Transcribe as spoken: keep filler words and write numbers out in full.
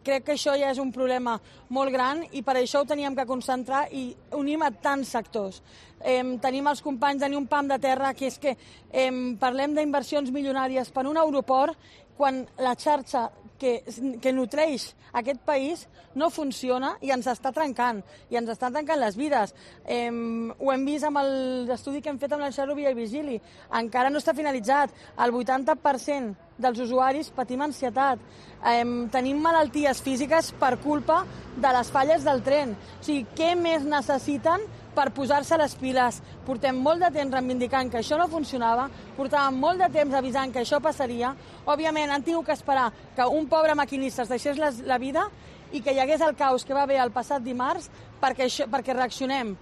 crec que això ja és un problema molt gran i per això ho teníem que concentrar i unim a tants sectors. Eh, tenim els companys de Ni un pam de terra, que és que eh, parlem d'inversions milionàries per un aeroport quan la xarxa que, que nutreix aquest país no funciona i ens està trencant, i ens està trencant les vides. Eh, ho hem vist amb l'estudi que hem fet amb l'Enxarro Via i Vigili. Encara no està finalitzat. El vuitanta per cent dels usuaris patim ansietat. Eh, tenim malalties físiques per culpa de les falles del tren. O sigui, què més necessiten per posar-se les piles? Portem molt de temps reivindicant que això no funcionava, portàvem molt de temps avisant que això passaria. Òbviament, han tingut que esperar que un pobre maquinista es deixés la vida i que hi hagués el caos que va haver el passat dimarts perquè, això, perquè reaccionem.